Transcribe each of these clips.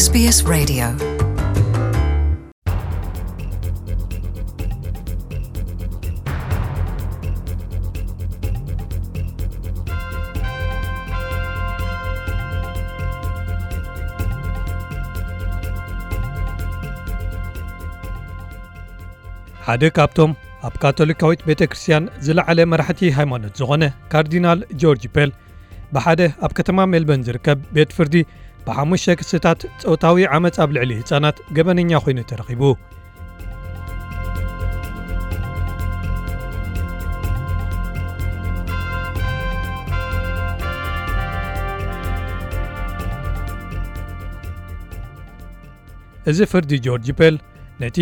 S B S Radio. ሓደ ካብቶም ኣብ ካቶሊካዊት ቤተ ክርስቲያን ዝለዓለ መራሕቲ ሃይማኖት ዝኾነ ካርዲናል ጆርጅ ፔል፣ ብሓደ ኣብ ከተማ ሜልበርን ዝርከብ ቤት ፍርዲ ብሓሙሽተ ክስታት ጾታዊ ዓመጽ ኣብ ልዕሊ ህጻናት ገበነኛ ኮይኑ ተረኺቡ። እዚ ፍርዲ ጆርጅ ፔል፣ ነቲ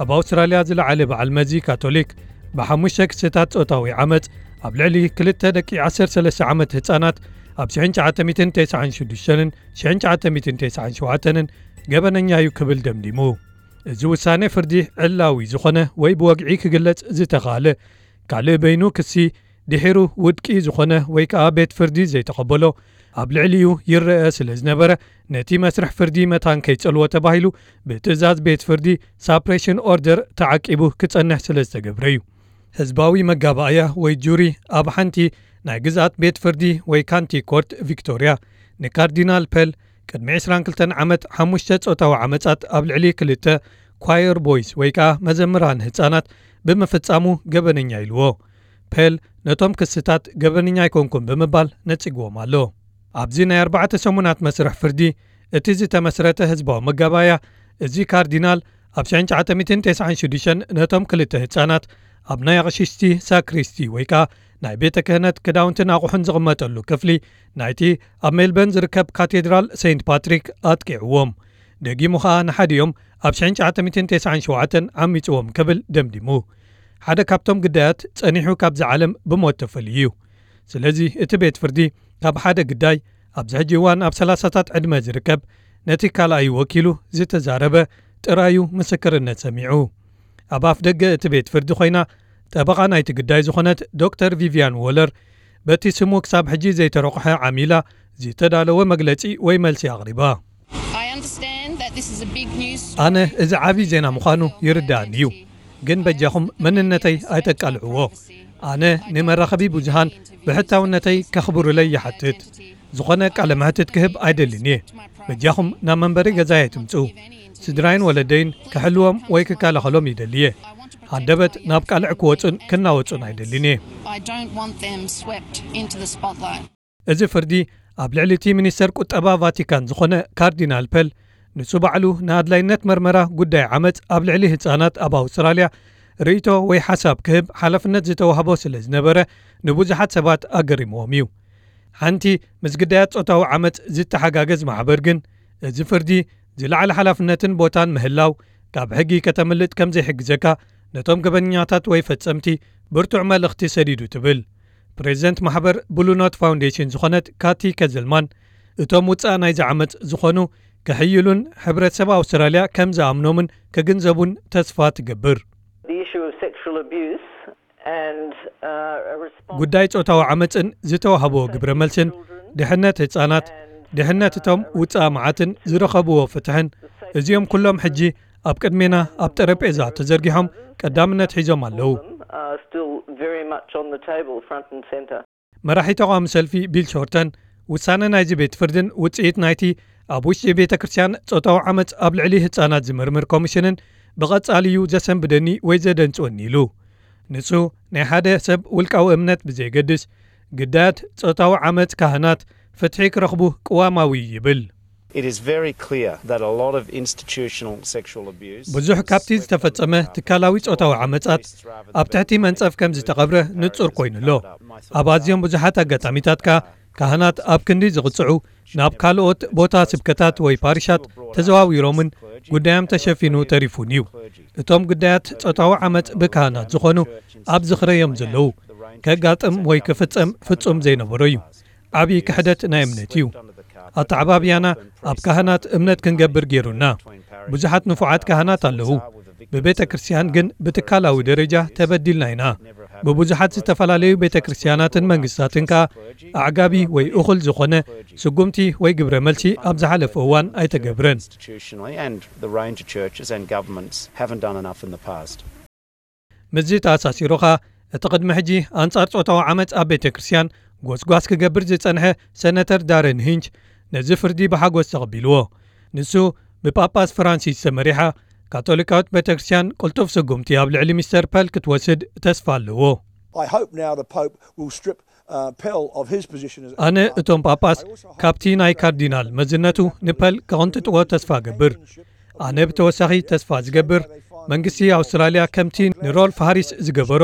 ኣብ ኣውስትራልያ ዝለዓለ በዓል መዚ ካቶሊክ፣ ብሓሙሽተ ክስታት ጾታዊ ዓመጽ ኣብ ልዕሊ ክልተ ደቂ ዓሰርተ ሰለስተ ዓመት ህጻናት፣ ኣብ ሽሕን ትሽዓተ ሚእትን ተስዓን ሽዱሽተን ሽሕን ትሽዓተ ሚእትን ተስዓን ሸውዓተን ገበነኛ እዩ ክብል ደምዲሙ። እዚ ውሳኔ ፍርዲ ዕላዊ ዝኾነ ወይ ብወግዒ ክግለጽ ዝተኻለ ካልእ በይኑ ክሲ ድሒሩ ውድቂ ዝኾነ ወይ ከኣ ቤት ፍርዲ ዘይተቐበሎ ኣብ ልዕሊኡ ይረአ ስለ ዝነበረ፣ ነቲ መስርሕ ፍርዲ መታን ከይጸልዎ ተባሂሉ ብትእዛዝ ቤት ፍርዲ ሳፕሬሽን ኦርደር ተዓቂቡ ክጸንሕ ስለ ዝተገብረ እዩ። ህዝባዊ መጋባእያ ወይ ጁሪ ኣብ ሓንቲ ናይ ግዝኣት ቤት ፍርዲ ወይ ካንቲ ኮርት ቪክቶርያ ንካርዲናል ፐል ቅድሚ ዕስራን ክልተን ዓመት ሓሙሽተ ጾታዊ ዓመጻት ኣብ ልዕሊ ክልተ ኳየር ቦይስ ወይ ከኣ መዘምራን ህጻናት ብምፍጻሙ ገበነኛ ኢልዎ። ፔል ነቶም ክስታት ገበነኛ ኣይኮንኩን ብምባል ነጺግዎም ኣሎ። ኣብዚ ናይ ኣርባዕተ ሰሙናት መስርሕ ፍርዲ እቲ ዝተመስረተ ህዝባዊ መጋባእያ፣ እዚ ካርዲናል ኣብ ሽሕን ትሽዓተ ሚእትን ተስዓን ሽዱሽተን ነቶም ክልተ ህጻናት ኣብ ናይ ኣቕሽሽቲ ሳክሪስቲ ወይ ከኣ ናይ ቤተ ክህነት ክዳውንትን ኣቑሑን ዝቕመጠሉ ክፍሊ ናይቲ ኣብ ሜልበርን ዝርከብ ካቴድራል ሴንት ፓትሪክ ኣጥቂዕዎም። ደጊሙ ኸኣ ንሓዲኦም ኣብ ሽሕን ትሽዓተ ሚእትን ተስዓን ሸውዓተን ዓሚጽዎም ክብል ደምዲሙ። ሓደ ካብቶም ግዳያት ጸኒሑ ካብዚ ዓለም ብሞት ተፈልዩ እዩ። ስለዚ እቲ ቤት ፍርዲ ካብ ሓደ ግዳይ ኣብዚ ሕጂ እዋን ኣብ ሰላሳታት ዕድመ ዝርከብ ነቲ ካልኣዩ ወኪሉ ዝተዛረበ ጥራዩ ምስክርነት ሰሚዑ። ኣብ ኣፍ ደገ እቲ ቤት ፍርዲ ኮይና ጠበቓ ናይቲ ግዳይ ዝኾነት ዶክተር ቪቪያን ዎለር በቲ ስሙ ክሳብ ሕጂ ዘይተረቑሐ ዓሚላ ዝተዳለወ መግለጺ ወይ መልሲ ኣቕሪባ። I understand that this is a big news ኣነ እዚ ዓቢ ዜና ምዃኑ ይርዳእኒ እዩ፣ ግን በጃኹም መንነተይ ኣይተቃልዕዎ። ኣነ ንመራኸቢ ብዙሃን ብሕታውነተይ ከኽብሩለይ ይሓትት። ዝኾነ ቃለ መሕትት ክህብ ኣይደልን እየ። በጃኹም ናብ መንበሪ ገዛይ ኣይትምጽኡ። ስድራይን ወለደይን ክሕልዎም ወይ ክከላኸሎም ይደሊ እየ። ሃንደበት ናብ ቃልዕ ክወጹን ክናወጹን ኣይደልን እየ። I don't want them swept into the spotlight. እዚ ፍርዲ ኣብ ልዕሊ እቲ ሚኒስተር ቁጠባ ቫቲካን ዝኾነ ካርዲናል ፐል፣ ንሱ ባዕሉ ንኣድላይነት መርመራ ጉዳይ ዓመጽ ኣብ ልዕሊ ህጻናት ኣብ ኣውስትራልያ ርእይቶ ወይ ሓሳብ ክህብ ሓላፍነት ዝተዋህቦ ስለ ዝነበረ፣ ንብዙሓት ሰባት ኣገሪምዎም እዩ። ሓንቲ ምስ ግዳያት ጾታዊ ዓመጽ ዝተሓጋገዝ ማሕበር ግን፣ እዚ ፍርዲ ዝለዓለ ሓላፍነትን ቦታን ምህላው ካብ ሕጊ ከተምልጥ ከም ዘይሕግዘካ፣ ነቶም ገበነኛታት ወይ ፈጸምቲ ብርቱዕ መልእኽቲ ሰዲዱ ትብል። ፕሬዚደንት ማሕበር ብሉ ኖት ፋውንዴሽን ዝኾነት ካቲ ከዝልማን፣ እቶም ውጻእ ናይዚ ዓመጽ ዝኾኑ ክሕይሉን ሕብረተሰብ ኣውስትራልያ ከም ዝኣምኖምን ክግንዘቡን ተስፋ ትገብር። The issue of sexual abuse and, uh, a response ጉዳይ ጾታዊ ዓመጽን ዝተዋህቦ ግብረ መልስን፣ ድሕነት ህጻናት፣ ድሕነት እቶም ውጻእ መዓትን ዝረኸብዎ ፍትሕን፣ እዚኦም ኩሎም ሕጂ ኣብ ቅድሜና ኣብ ጠረጴዛ ተዘርጊሖም ቀዳምነት ሒዞም ኣለዉ። Are still very much on the table, front and center. መራሒ ተቓዋሚ ሰልፊ ቢል ሾርተን፣ ውሳነ ናይዚ ቤት ፍርድን ውጽኢት ናይቲ ኣብ ውሽጢ ቤተ ክርስቲያን ጾታዊ ዓመጽ ኣብ ልዕሊ ህጻናት ዝምርምር ኮሚሽንን ብቐጻሊ እዩ ዘሰንብደኒ ወይ ዘደንጽወኒ ኢሉ። ንሱ፣ ናይ ሓደ ሰብ ውልቃዊ እምነት ብዘየገድስ፣ ግዳያት ጾታዊ ዓመጽ ካህናት ፍትሒ ክረኽቡ ቅዋማዊ እዩ ይብል። It is very clear that a lot of institutional sexual abuse ብዙሕ ካብቲ ዝተፈጸመ ትካላዊ ጾታዊ ዓመጻት ኣብ ትሕቲ መንጸፍ ከም ዝተቐብረ ንጹር ኮይኑ ኣሎ። ኣብ ኣዝዮም ብዙሓት ኣጋጣሚታት ከኣ ካህናት ኣብ ክንዲ ዝቕጽዑ ናብ ካልኦት ቦታ ስብከታት ወይ ፓሪሻት ተዘዋዊሮምን ጉዳዮም ተሸፊኑ ተሪፉን እዩ። እቶም ጉዳያት ጾታዊ ዓመጽ ብካህናት ዝኾኑ ኣብ ዝኽረ እዮም ዘለዉ። ከጋጥም ወይ ክፍጸም ፍጹም ዘይነበሮ እዩ። ዓብዪ ክሕደት ናይ እምነት እዩ። ኣተዓባብያና ኣብ ካህናት እምነት ክንገብር ገይሩና። ብዙሓት ንፉዓት ካህናት ኣለዉ። ብቤተ ክርስቲያን ግን ብትካላዊ ደረጃ ተበዲልና ኢና። ብብዙሓት ዝተፈላለዩ ቤተ ክርስቲያናትን መንግስታትን ከኣ ኣዕጋቢ ወይ እኹል ዝኾነ ስጉምቲ ወይ ግብረ መልሲ ኣብ ዝሓለፈ እዋን ኣይተገብረን። Institutionally, and the range of churches and governments haven't done enough in the past. ምስዚ ተኣሳሲሩ ኸኣ እቲ ቅድሚ ሕጂ ኣንጻር ጾታዊ ዓመጽ ኣብ ቤተ ክርስቲያን ጎስጓስ ክገብር ዝጸንሐ ሰነተር ዳረን ሂንች ነዚ ፍርዲ ብሓጎስ ተቐቢልዎ። ንሱ ብጳጳስ ፍራንሲስ ተመሪሓ ካቶሊካዊት ቤተ ክርስቲያን ቅልጡፍ ስጉምቲ ኣብ ልዕሊ ሚስተር ፐል ክትወስድ ተስፋ ኣለዎ። I hope now the Pope will strip uh, Pell of his position as ኣነ እቶም ጳጳስ ካብቲ ናይ ካርዲናል መዝነቱ ንፐል ከቕንጥጥዎ ተስፋ ገብር። ኣነ ብተወሳኺ ተስፋ ዝገብር መንግስቲ ኣውስትራልያ ከምቲ ንሮልፍ ሃሪስ ዝገበሮ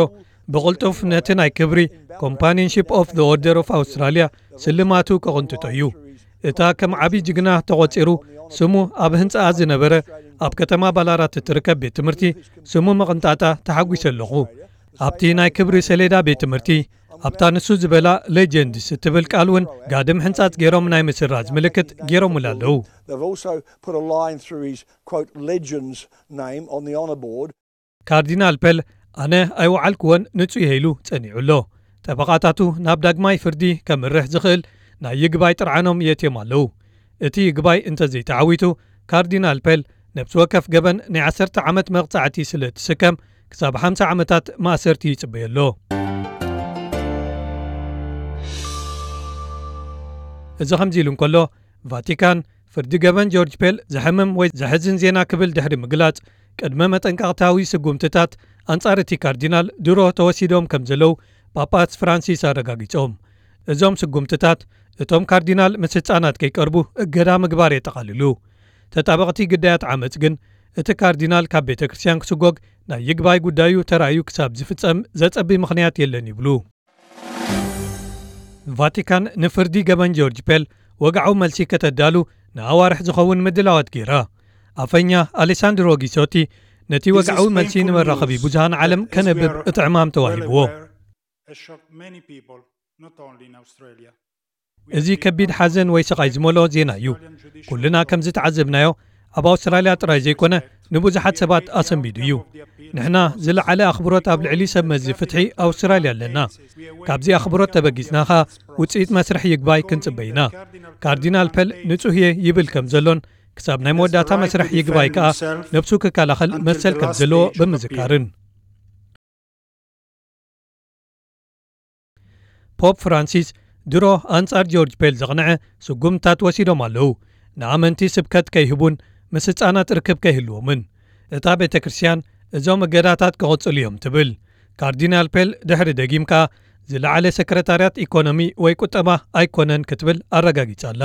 ብቕልጡፍ ነቲ ናይ ክብሪ Companionship of the Order of Australia ስልማቱ ከቕንጥጦ እዩ። እታ ከም ዓቢ ጅግና ተቖጺሩ ስሙ ኣብ ህንጻኣ ዝነበረ ኣብ ከተማ ባላራት እትርከብ ቤት ትምህርቲ ስሙ ምቕንጣጣ ተሓጒሰ ኣለኹ። ኣብቲ ናይ ክብሪ ሰሌዳ ቤት ትምህርቲ ኣብታ ንሱ ዝበላ ሌጀንድስ እትብል ቃል እውን ጋድም ሕንጻጽ ገይሮም ናይ ምስራዝ ምልክት ገይሮምሉ ኣለዉ። They've also put a line through his quote legends name on the honour board. ካርዲናል ፐል ኣነ ኣይወዓልክዎን ንጹህ እየ ኢሉ ጸኒዑ ኣሎ። ጠበቓታቱ ናብ ዳግማይ ፍርዲ ከምርሕ ዝኽእል ናይ ይግባይ ጥርዓኖም የእትዮም ኣለዉ። እቲ ይግባይ እንተዘይተዓዊቱ ካርዲናል ፐል ነብሲ ወከፍ ገበን ናይ ዓሰርተ ዓመት መቕጻዕቲ ስለ እትስከም ክሳብ ሓምሳ ዓመታት ማእሰርቲ ይጽበዮ ኣሎ። እዚ ከምዚ ኢሉ እንከሎ ቫቲካን ፍርዲ ገበን ጆርጅ ፔል ዘሕምም ወይ ዘሕዝን ዜና ክብል ድሕሪ ምግላጽ ቅድመ መጠንቀቕታዊ ስጉምትታት ኣንጻር እቲ ካርዲናል ድሮ ተወሲዶም ከም ዘለዉ ጳጳስ ፍራንሲስ ኣረጋጊጾም። እዞም ስጉምትታት እቶም ካርዲናል ምስ ህጻናት ከይቀርቡ እገዳ ምግባር የጠቓልሉ። ተጣበቕቲ ግዳያት ዓመጽ ግን እቲ ካርዲናል ካብ ቤተ ክርስቲያን ክስጎግ ናይ ይግባይ ጉዳዩ ተራእዩ ክሳብ ዝፍጸም ዘጸቢ ምኽንያት የለን ይብሉ። ቫቲካን ንፍርዲ ገበን ጆርጅ ፔል ወግዓዊ መልሲ ከተዳሉ ንኣዋርሕ ዝኸውን ምድላዋት ገይራ። ኣፈኛ ኣሌሳንድሮ ጊሶቲ ነቲ ወግዓዊ መልሲ ንመራኸቢ ብዙሃን ዓለም ከነብብ እቲ ዕማም ተዋሂብዎ። እዚ ከቢድ ሓዘን ወይ ስቓይ ዝመልኦ ዜና እዩ። ኩልና ከም ዝተዓዘብናዮ ኣብ ኣውስትራልያ ጥራይ ዘይኮነ ንብዙሓት ሰባት ኣሰንቢዱ እዩ። ንሕና ዝለዓለ ኣኽብሮት ኣብ ልዕሊ ሰብ መዚ ፍትሒ ኣውስትራልያ ኣለና። ካብዚ ኣኽብሮት ተበጊስና ኸኣ ውጽኢት መስርሕ ይግባይ ክንጽበ ኢና። ካርዲናል ፐል ንጹህ እየ ይብል ከም ዘሎን ክሳብ ናይ መወዳእታ መስርሕ ይግባይ ከኣ ነብሱ ክከላኸል መሰል ከም ዘለዎ ብምዝካርን። ፖፕ ፍራንሲስ ድሮ ኣንጻር ጆርጅ ፔል ዘቕንዐ ስጉምትታት ወሲዶም ኣለዉ። ንኣመንቲ ስብከት ከይህቡን ምስ ህጻናት ርክብ ከይህልዎምን። እታ ቤተ ክርስቲያን እዞም እገዳታት ክቕጽሉ እዮም ትብል። ካርዲናል ፔል ድሕሪ ደጊም ከኣ ዝለዓለ ሰክረታርያት ኢኮኖሚ ወይ ቁጠባ ኣይኮነን ክትብል ኣረጋጊጻ ኣላ።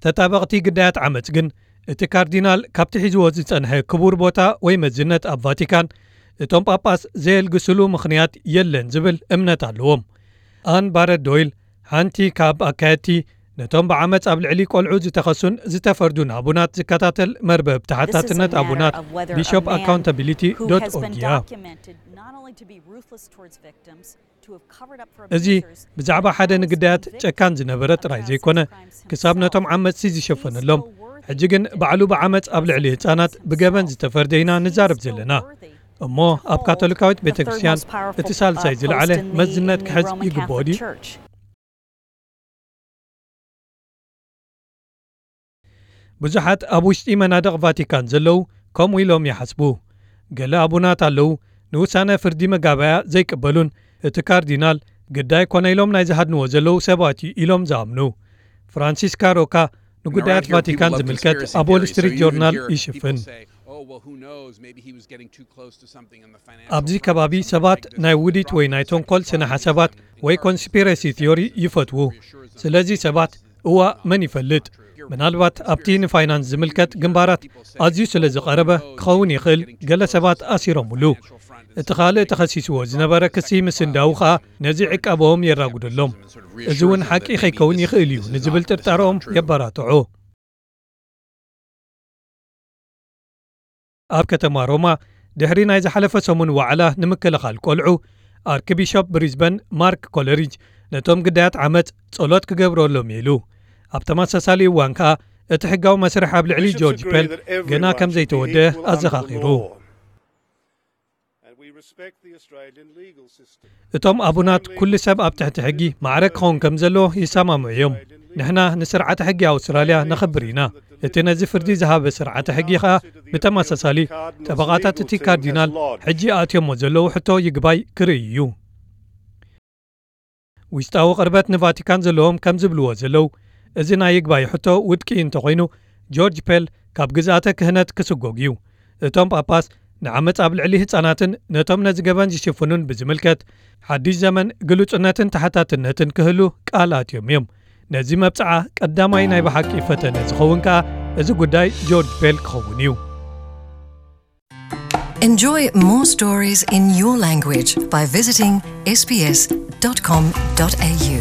ተጣበቕቲ ግዳያት ዓመጽ ግን እቲ ካርዲናል ካብቲ ሒዝዎ ዝጸንሐ ክቡር ቦታ ወይ መዝነት ኣብ ቫቲካን እቶም ጳጳስ ዘየልግስሉ ምኽንያት የለን ዝብል እምነት ኣለዎም። ኣን ባረት ዶይል ሓንቲ ካብ ኣካየድቲ ነቶም ብዓመጽ ኣብ ልዕሊ ቆልዑ ዝተኸሱን ዝተፈርዱን ኣቡናት ዝከታተል መርበብ ተሓታትነት ኣቡናት ቢሾፕ ኣካውንታቢሊቲ ዶት ኦርግ እያ። እዚ ብዛዕባ ሓደ ንግዳያት ጨካን ዝነበረ ጥራይ ዘይኮነ ክሳብ ነቶም ዓመጽቲ ዝሸፈነሎም ሕጂ ግን ባዕሉ ብዓመጽ ኣብ ልዕሊ ህጻናት ብገበን ዝተፈርደ ኢና ንዛረብ ዘለና። እሞ ኣብ ካቶሊካዊት ቤተ ክርስቲያን እቲ ሳልሳይ ዝለዓለ መዝነት ክሕዝ ይግብኦ ድዩ? ብዙሓት ኣብ ውሽጢ መናድቕ ቫቲካን ዘለዉ ከምኡ ኢሎም ይሓስቡ። ገለ ኣቡናት ኣለዉ ንውሳነ ፍርዲ መጋባያ ዘይቅበሉን እቲ ካርዲናል ግዳይ ኮነ ኢሎም ናይ ዝሃድንዎ ዘለዉ ሰባት እዩ ኢሎም ዝኣምኑ። ፍራንሲስካ ሮካ ንጉዳያት ቫቲካን ዝምልከት ኣብ ዎል ስትሪት ጆርናል ይሽፍን። ኣብዚ ከባቢ ሰባት ናይ ውዲት ወይ ናይ ተንኮል ስነ ሓሳባት ወይ ኮንስፒረሲ ቲዮሪ ይፈትዉ። ስለዚ ሰባት እዋ መን ይፈልጥ፣ ምናልባት ኣብቲ ንፋይናንስ ዝምልከት ግንባራት ኣዝዩ ስለ ዝቐረበ ክኸውን ይኽእል፣ ገለ ሰባት ኣሲሮምሉ። እቲ ካልእ ተኸሲስዎ ዝነበረ ክሲ ምስንዳዉ ኸኣ ነዚ ዕቃበኦም የራጉደሎም። እዚ እውን ሓቂ ከይከውን ይኽእል እዩ ንዝብል ጥርጣረኦም የበራትዖ። ኣብ ከተማ ሮማ ድሕሪ ናይ ዝሓለፈ ሰሙን ዋዕላ ንምክልኻል ቆልዑ ኣርክቢሾፕ ብሪዝበን ማርክ ኮለሪጅ ነቶም ግዳያት ዓመጽ ጸሎት ክገብረሎም ኢሉ። ኣብ ተመሳሳሊ እዋን ከኣ እቲ ሕጋዊ መስርሕ ኣብ ልዕሊ ጆርጅ ፔል ገና ከም ዘይተወደአ ኣዘኻኺሩ። እቶም ኣቡናት፣ ኩሉ ሰብ ኣብ ትሕቲ ሕጊ ማዕረ ክኸውን ከም ዘለዎ ይሰማምዑ እዮም። ንሕና ንስርዓተ ሕጊ ኣውስትራልያ ነኽብር ኢና። እቲ ነዚ ፍርዲ ዝሃበ ስርዓተ ሕጊ ኸኣ ብተመሳሳሊ፣ ጠበቓታት እቲ ካርዲናል ሕጂ ኣእትዮሞ ዘለዉ ሕቶ ይግባይ ክርኢ እዩ። ውሽጣዊ ቅርበት ንቫቲካን ዘለዎም ከም ዝብልዎ ዘለዉ፣ እዚ ናይ ይግባይ ሕቶ ውድቂ እንተኾይኑ፣ ጆርጅ ፔል ካብ ግዝኣተ ክህነት ክስጎግ እዩ። እቶም ጳጳስ ንዓመጽ ኣብ ልዕሊ ህጻናትን ነቶም ነዚ ገበን ዝሽፍኑን ብዝምልከት፣ ሓድሽ ዘመን ግሉጽነትን ተሓታትነትን ክህሉ ቃል ኣትዮም እዮም። ነዚ መብጽዓ ቀዳማይ ናይ ብሓቂ ፈተነ ዝኸውን ከኣ፣ እዚ ጉዳይ ጆርጅ ፔል ክኸውን እዩ። Enjoy more stories in your language by visiting S B S dot com dot A U.